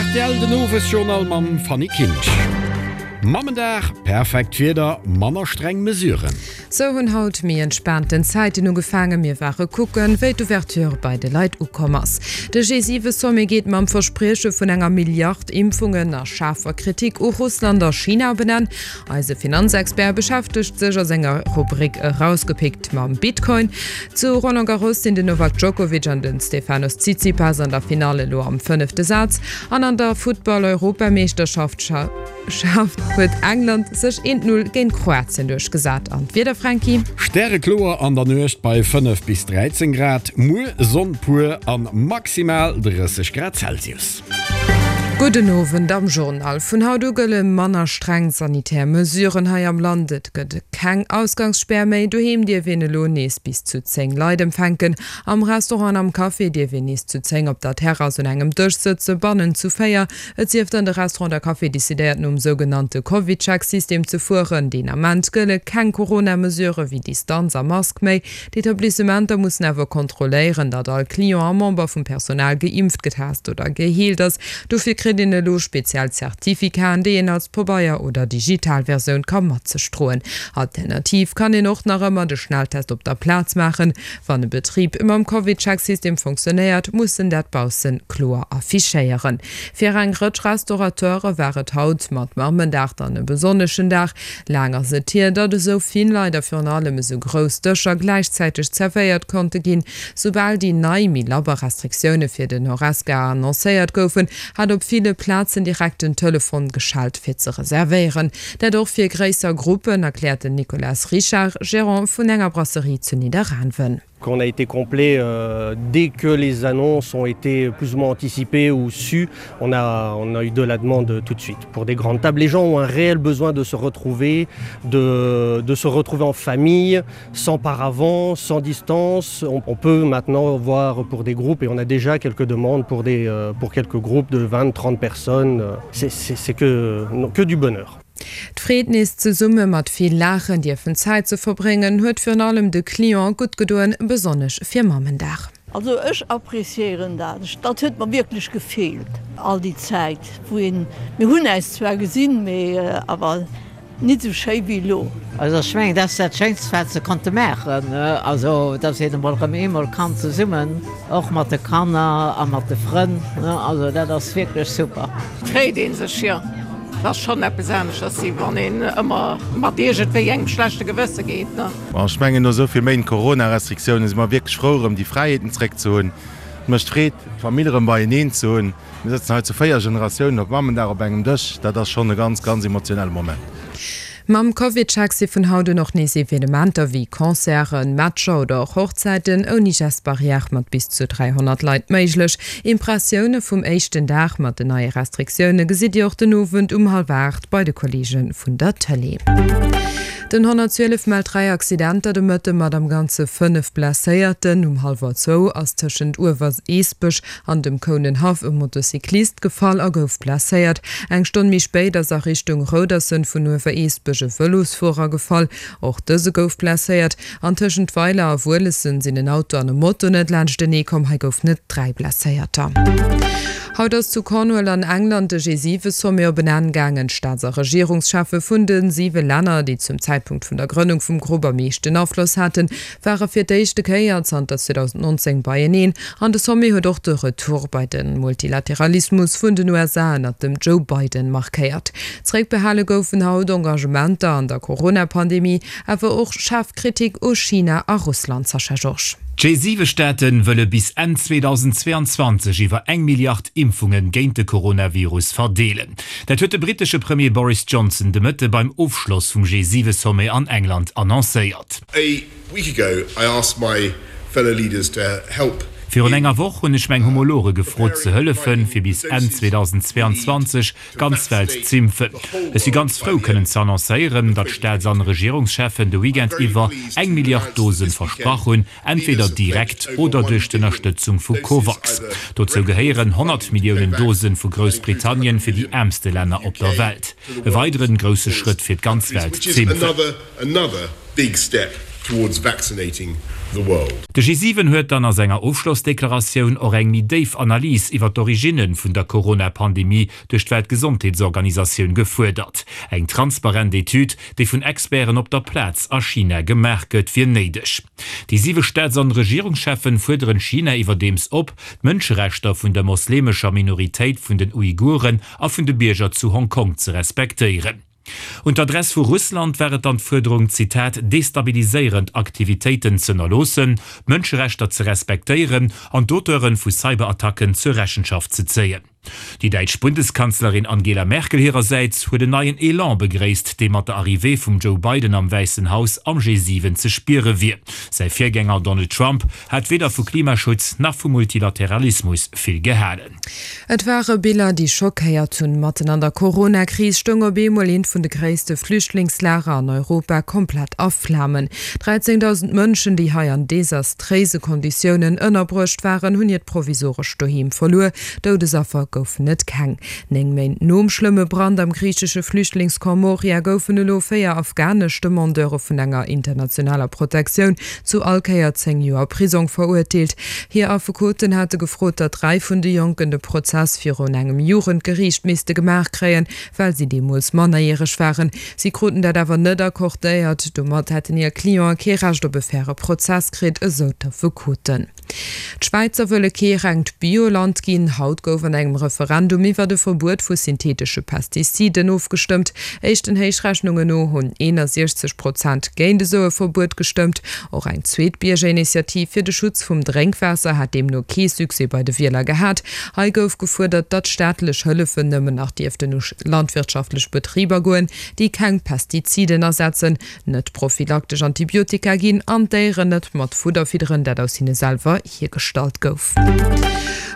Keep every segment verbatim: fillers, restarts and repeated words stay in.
Rtl den Owesjournal mam Fanny Kinsch. Mammendag, perfekt Wieder, manner streng Mesuren. Sou hunn haut méi entspaanten Zäiten ugefaangen. Mir ware kucken, wéi d'Ouverture bei de Leit ukomm ass. De G siwe Sommet geet mam Versprieche vun enger Milliard Impfungen a schaarfer Kritik u Russland a China op en Enn. Eise Finanzexpert beschäftegt sech a senger Rubrik Erausgepickt mam Bitcoin. Zu Roland Garros sinn den Novak Djokovic an den Stefanos Tsitsipas an der Finale elo am fënnefte Saz an an der Futtball-Europameeschterschaft huet England sech eent Null géint Kroatien duerchgesat. An d'Wieder, Franky? Stärekloer an der Nuecht bei fënnef bis dräizéng Grad, muer Sonn pur an maximal drësseg Grad Celsius. Gudden Owend am Journal. Vun haut u gëlle manner streng sanitär Mesuren hei am Land. Et gëtt keng Ausgangsspär méi. Doheem dierf een elo nees bis zu zéng Leit empfänken. Am Restaurant an am Café dierf een nees zu zéng op der Terrass un engem Dësch sëtzen, bannen zu véier. Et sief dann de Restaurant oder Café decidéiert nom sougenannte CovidCheck-System ze fueren. Deen Ament gëlle keng Corona-Mesurë wéi Distanz a Mask méi. D'Etablissementer mussen awer kontrolléieren, datt all Client a Member vum Personal geimpft, getest oder geheelt ass. Dofir kritt een elo speziell Zertifikaten, déi een als Pabeier oder digital Versioun ka mat sech droen. Alternativ kann een och nach ëmmer de Schnelltest op der Plaz maachen. Wann e Betrib mam CovidCheck-System fonctionnéiert, muss en dat bausse kloer affichéieren. Fir eng Rëtsch Restaurateure war et haut mat Mammendag dann e besonneschen Dag. Laang ass et hier, datt esou vill Leit a virun allem esou grouss Dëscher gläichzäiteg zerwéiert konnte ginn. Soubal déi nei, méi labber Restriktioune fir den Horesca annoncéiert goufen, hat op ville Plazen direkt den Telefon geschellt fir ze reservéieren. Dat och fir gréisser Gruppen, erkläert den Nicolas Richard, Gerant vun enger Brasserie zu Nidderaanwen. Qu'on a été complet dès que les annonces ont été plus ou moins anticipées ou sues, on a, on a eu de la demande tout de suite pour des grandes tables. Les gens ont un réel besoin de se retrouver, de, de se retrouver en famille, sans paravent, sans distance. On, on peut maintenant voir pour des groupes et on a déjà quelques demandes pour, des, pour quelques groupes de vingt, trente personnes. C'est, c'est, c'est que, non, que du bonheur. D'Freed nees zesumme mat vill Laachen dierfen Zäit ze verbréngen, huet virun allem de Cliente gutt gedoen, besonnesch fir Mammendag. Also ech appréciéieren dat. Dat huet mer wierklech gefeelt all déi Zäit, wou een, mir hunn äis zwar gesinn, mee awer nit esou schéi wéi elo. Also ech mengen, dat ass dat Schéinst, wat se konnte maachen, also dass een emol erëm eemol kann zesummen, och mat de Kanner a mat de Frënn, also dat ass wierklech super. Freet ee sech, jo. Et ass schonn eppes aneschters, wéi wann een ëmmer mat iergendwéi engem schlechte Gewësse geet, ne. Bon, ech mengen, no esou vill Méint Corona-Restriktiounen si mer wierklech frou, erëm déi Fräiheeten zréck ze hunn. Et mécht Freed, d'Famill erëm beieneen ze hunn. Mir sëtzen hei zu véier Generatiounen op Mammendag op engem Dësch. Dat ass schonn e ganz, ganz emotionelle Moment. Mam CovidCheck si vun haut un och nees Evenementer wéi Concerten, Matcher oder och Hochzäiten ouni Geste barrière mat bis zu dräihonnert Leit méiglech. Impressioune vum éischten Dag mat den neie Restriktioune gesitt Dir och den Owend um hallwer aacht bei de Kolleege vun der Tëlee. Den honnertzwielef mellt dräi Accidenter de Mëtte mat am Ganze fënnef Blesséierten. Um hallwer zwou ass tëschent Uewerseesbech an dem Kounenhaff e Motocyclist gefall a gouf blesséiert. Eng Stonn méi spéit ass a Richtung Roudersen vun Uewereesbech e Vëlosfuerer gefall. Och dëse gouf blesséiert. An tëschent Weiler a Wuelessen sinn en Auto an e Moto net laanschtenee komm. Hei goufen et dräi Blesséierter. Haut ass zu Cornwall an England de G siwe Sommet op en Enn gaangen. D'Staats a Regierungscheffe vun de siwe Länner, déi zum Zäitpunkt vun der Grënnung vum Grupp am meeschten Afloss haten, ware fir d'éischte Kéier zanter zweedausendnonzéng beieneen. An de Sommet huet och de Retour bei de Multilateralismus vun den U S A ënnert dem Joe Biden markéiert. Zeréckbehale goufen haut Engagementer an der Corona-Pandemie, awer och schaarf Kritik u China a Russland. Sascha Georges. D'G siwe Staate wëlle bis Enn zweedausendzweeanzwanzeg iwwer eng Milliard Impfunge géint de Coronavirus verdeelen. Dat huet de brittesche Premier Boris Johnson de Mëtte beim Ofschloss vum G siwe Sommet an England annoncéiert. A week ago I asked my fellow leaders to help Virun enger Woch hunn ech meng Homologe gefrot ze hëllefen, fir bis Enn zweedausendzweeanzwanzeg d'ganz Welt z'impfen. Ech si ganz frou kënnen ze annoncéieren, datt d'Staats an Regierungscheffen de Weekend iwwer eng Milliard Dosen versprach hunn, entweder direkt oder duerch d'Ënnerstëtzung vu COVAX. Dozou gehéieren honnert Milliounen Dosen vu Groussbritannien fir déi äermste Länner op der Welt. E weideren grousse Schrëtt fir d'ganz Welt z'impfen. the world. De G siwen huet dann a senger Ofschlossdeklaratioun och eng méi déif Analys iwwer d'Originne vun der Corona-Pandemie duerch d'Weltgesondheetsorganisatioun gefuerdert. Eng transparent Etüd, déi vun Experten op der Plaz a China gemaach gëtt, wier néideg. Déi siwe Staats an Regierungscheffen fuerderen China iwwerdeems op, d'Mënscherechter vun der moslemescher Minoritéit vun den Uiguren a vun de Bierger zu Hongkong ze respektéieren. Un d'Adress vu Russland war et dann d'Fuerderung, Zitat, destabiliséierend Aktivitéiten z'ënnerloossen, d'Mënscherechter ze respektéieren an d'Auteure vu Cyberattacken zur Rechenschaft ze zéien. Déi däitsch Bundeskanzlerin Angela Merkel hirersäits huet en neien Elan begréisst, dee mat der Arrivée vum Joe Biden am Wäissen Haus am G siwen ze spiere wier. Säi Virgänger Donald Trump hat weder vu Klimaschutz nach vu Multilateralismus vill gehalen. Et ware Biller, déi schockéiert hunn. Matten an der Corona-Kris stoung op eemol eent vun de gréisste Flüchtlingslager an Europa komplett a Flamen. dräizéngdausend Mënschen, déi hei an desastréise Konditiounen ënnerbruecht waren, hunn hiert provisorescht Doheem verluer. Doudesaffer goufen et keng. Néng Méint nom schlëmme Brand am griichesche Flüchtlingscamp Moria goufen elo véier afghanesch Demandeure vun enger internationaler Protektioun zu all Kéier zéng Joer Prisong verurteelt. Hir Affekoten hate gefrot, datt dräi vun de Jonken de Prozess virun engem Jugendgeriicht misste gemaach kréien, well si deemools mannerjäreg waren. Si kruten dat awer net accordéiert. Domat hätten hir Clientë kee Recht op e faire Prozess kritt, esou d'Affekoten. D'Schwäizer wëlle kee rengt Bioland ginn. Haut gouf an engem Referendum iwwert e Verbuet vu syntheetesche Pestiziden ofgestëmmt. Éischten Héichrechnungen no hunn eenundsechzeg Prozent géint esou e Verbuet gestëmmt. Och eng zweet Biergerinitiativ fir de Schutz vum Drénkwaasser hat deemno kee Succès bei de Wieler gehat. Hei gouf gefuerdert, datt staatlech Hëllefen nëmmen nach dierften u landwirtschaftlech Betriber goen, déi keng Pestiziden asetzen, net prophylaktesch Antibiotika ginn an d'Déieren net mat Fudder fidderen, dat aus hinne selwer hiergestallt gouf.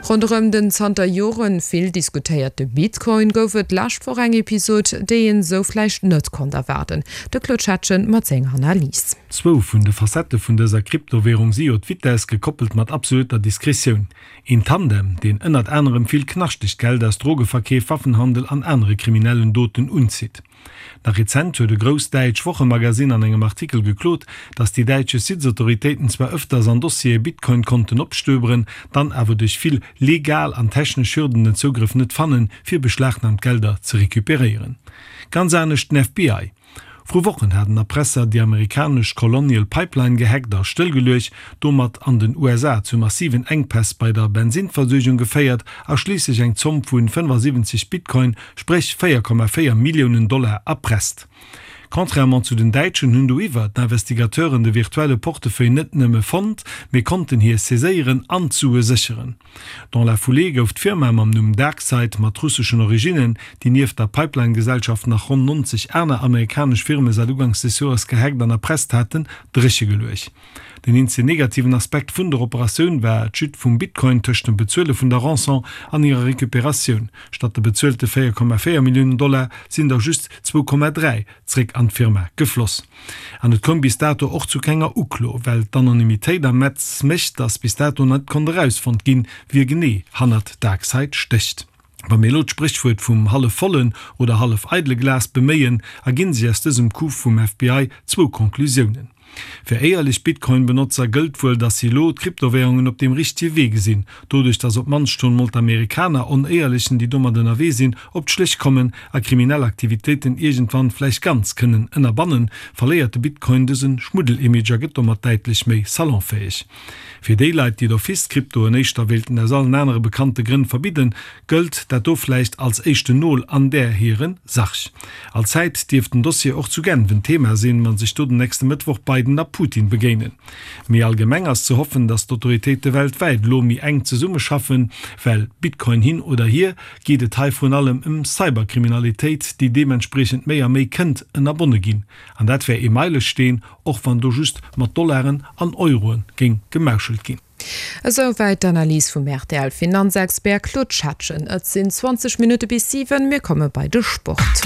Ronderëm den zanter Jore vill diskutéierte Bitcoin gouf et d'lescht Woch eng Episod, déi een esou vläicht net konnt erwaarden. De Claude Schettgen mat senger Analys. Zwou vun de Facettë vun dëser Kryptowärung si jo d'Vitess, gekoppelt mat absolutter Diskretioun. Een Tandem, deen ënnert anerem vill knaschtegt Geld aus Drogeverkeef, Waffenhandel an anere kriminellen Doten unzitt. Nach rezent huet e grousst däitsch Wochemagazin an engem Artikel geklot, datt déi däitsch Justizautoritéiten zwar ëfters an Dossiere Bitcoin-Konten opstöberen, dann awer duerch vill legal an technesch Hürden den Zougrëff net fannen, fir beschlagnahmt Gelder ze recuperéieren. Ganz anescht den F B I. Vru Wochen hat en Erpresser déi amerikanesch Colonial Pipeline gehackt a stëllgeluecht, domat an den U S A zu massiven Enkpäss bei der Bensinnversuergung geféiert a schliisslech eng Zomm vu fënnefasiwwenzeg Bitcoin, spréch véier Komma véier Milliounen Dollar, erpresst. Contrairement zu den Däitschen hunn doiwwer d'Investigateuren de virtuelle Portefeuille net nëmme fonnt, mee konnten hie saiséieren an d'Sue sécheren. Dans la foulée gouf d'Firma mam Numm DarkSide mat russeschen Originnen, déi nieft der Pipeline-Gesellschaft nach ronn nonzeg aner amerikanesch Firme säit uganks des Joers gehackt an erpresst haten, dréchegeluecht. Den eenzegen negativen Aspekt vun der Operatioun war d'Chute vum Bitcoin tëscht dem Bezuele vun der Rançon an hirer Recuperatioun, Statt de bezuelte véier Komma véier Milliounen Dollar sinn der just zwou Komma dräi zréck an d'Firma gefloss. An et koum bis dato och zu kenger Uklo, well d'Anonymitéit am Netz mécht, datt bis dato net konnt erausfonnt ginn, wie genee hannert DarkSide stécht. Wa mir elo d'Spréchwuert vum hallef vollen oder hallef eidele Glas beméien, erginn sech aus dësem Coup vum F B I zwou Conclusiounen. Fir éierlech Bitcoin-Benotzer gëllt wuel, datt si elo d'Kryptowärungen op deem richtege Wee gesinn, doduerch datt op d'mannst schonn mol d'Amerikaner Onéierlechen, déi domat ënnerwee sinn, op d'Schléch kommen a kriminell Aktivitéiten iergendwann vläicht ganz kënnen ënnerbannen, verléiert de Bitcoin dëse Schmuddel-Image a gëtt domat däitlech méi salonfäeg. Fir déi Leit, déi d'office d'Kryptoen éischter wéilten aus allen anere bekannte Grënn verbidden, gëllt dat do vläicht als éischten Nol an där hire Sarg. Allzäit dierft den Dossier och zu Genf en Thema sinn, wa sech do den nächste Mëttwoch Biden a Putin begéinen. Méi allgemeng ass ze hoffen, datt d'Autoritéite weltwäit elo méi enk zesummeschaffen, well, Bitcoin hin oder hier, geet et hei vrun allem ëm Cyberkriminalitéit, déi deementspriechend méi a méi kënnt ënnerbonne ginn. An dat wär ee Meilesteen, och wann do just mat Dollaren an Euroe géing gemauschelt ginn. Esou wäit d'Analys vum R T L-Finanzexpert Claude Schettgen. Et sinn zwanzeg Minutte bis siwen, mir komme bei de Sport.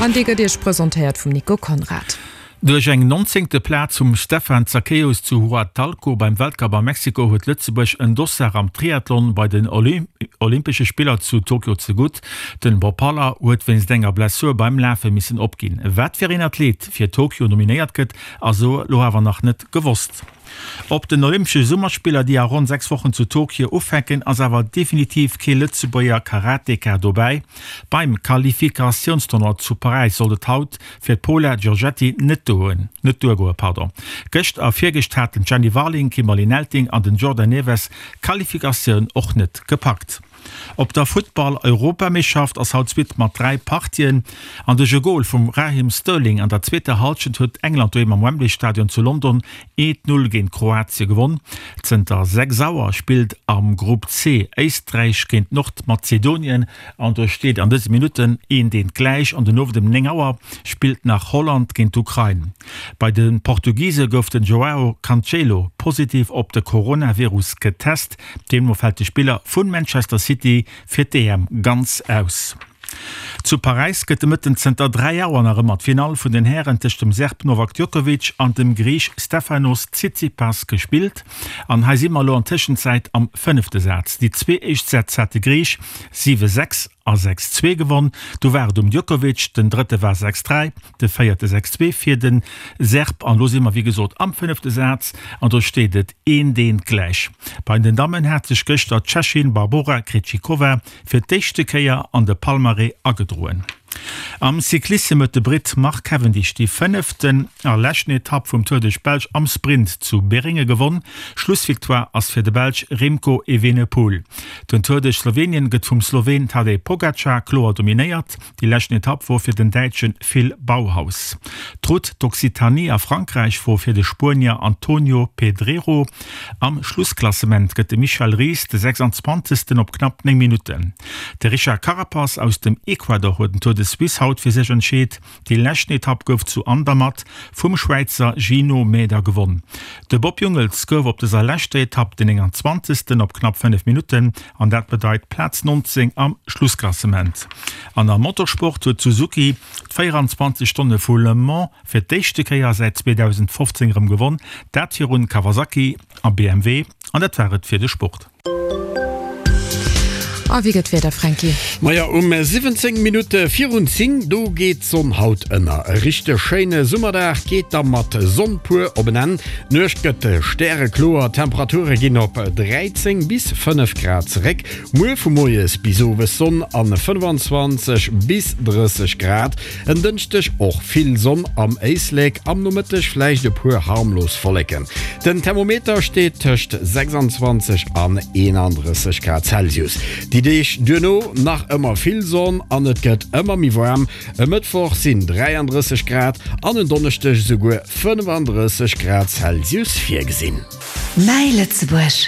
An dee gëtt Iech presentéiert vum Nico Conrad. Duerch eng nonzéngte Plaz vum Stefan Zachäus zu Huatulco beim Weltcup a Mexiko huet Lëtzebuerg en Dossard am Triathlon bei den Olympesche Spiller zu Tokio zegutt. Den Bob Haller huet wéinst enger Blessur beim Lafe missen opginn. Wat fir een Athlet fir Tokio nominéiert gëtt, ass elo awer nach net gewosst. Op den Olympesche Summerspiller, déi a ronn sechs Wochen zu Tokio ufänken, ass awer definitiv kee Lëtzebuerger Karateka dobäi. Beim Qualifikatiounstournoi zu Paräis sollt et haut fir d'Paola Giorgetti net duergoen. Gëscht a virgëscht haten d'Jenny Warling, d'Kimberly Nelting an den Jordan Neves d'Qualifikatioun och net gepackt. Op der Futtball-Europameeschschaft ass haut d'Suite mat dräi Partien an duerch e Gol vum Raheem Sterling an der zweeter Hallschent huet England doheem am Wembley Stadion zu London eent Null géint Kroatie gewonn. Zënter sechs Auer spillt am Grupp C Éisträich géint Nordmazedonien an do steet an dëse Minutten eent eent gläich an den Owend ëm néng Auer spillt nach Holland géint d'Ukrain. Bei de Portugise gouf den Joao Cancelo positiv op de Coronavirus getest. Deemno fält de Spiller vu Manchester City fir d'EM ganz aus. Zu Paräis gëtt de Mëtten zënter dräi Auer nach ëmmer d'Finall vun den Hären tëscht dem Serb Novak Djokovic an dem Griich Stefanos Tsitsipas gespillt. An hei si mer elo an Tëschenzäit am fënnefte Saz. Déi zwee éischt Sätz hat de Griich siwe sechs a sechs zwee gewonn. Du war et um Djokovic, den drëtte war sechs dräi, de véierte sechs zwee fir de Serb. An elo si mer wéi gesot am fënnefte Saz an do steet et eent eent gläich. Bei den Dammen hat sech gëschter d'Tschechin Barbora Krejcikova fir d'éischte Kéier an de Palmarès agedroen. Am Cyclissem huet de Britt Mark Cavendish déi fënneften a leschten Etapp vum Tour duerch d'Belsch am Sprint zu Beringe gewonn. Schlussvictoire ass fir de Belsch Remco Evenepoel. Den Tour duerch Slowenien gëtt vum Sloween Tadej Pogacar kloer dominéiert. Déi leschten Etapp wor fir den Däitsche Phil Bauhaus. D'Route d'Occitanie a Frankräich wor fir de Spuenier Antonio Pedrero. Am Schlussklassement gëtt de Michel Ries de sechsanzwanzegsten op knapp néng Minutten. De Richard Carapaz aus dem Ecuador huet den Tour de Suisse haut fir sech entscheet. Déi leschten Etapp gouf zu Andermatt vum Schwäizer Gino Mäder gewonn. De Bob Jungels gouf op dëser leschter Etapp den nénganzwanzegsten op knapp fënnef Minutten an dat bedeit Plaz nonzéng am Schlussklassement. An am Motorsport huet Suzuki d'véieranzwanzeg Stonne vu Le Mans fir d'éischte Kéier säit zweedausendfofzéng erëm gewonn, dat virun Kawasaki a B M W. An dat war et fir de Sport. A wéi gëtt d'Wieder, Franky? Maja, um siwwenzéng Minutte virun zéng, do geet d'Sonn haut ënner. E richteg schéine Summerdag geet da mat Sonn pur op en Enn. D'Nuecht gëtt stärekloer, d'Temperature ginn op dräizéng bis fënnef Grad zeréck. Muer vu moies bis owes Sonn an fënnefanzwanzeg bis drësseg Grad. En Dënschdeg och vill Sonn am Éislek, am Nomëtteg vläicht e puer harmlos Wolleken. Den Thermometer steet tëscht sechsanzwanzeg an eenandrësseg Grad Celsius. Déi Deeg duerno nach ëmmer vill Sonn an et gëtt ëmmer méi waarm. E Mëttwoch sinn dräiandrësseg Grad an en Donneschdeg esouguer fënnefandrësseg Grad Celsius virgesinn. Mäi Lëtzebuerg.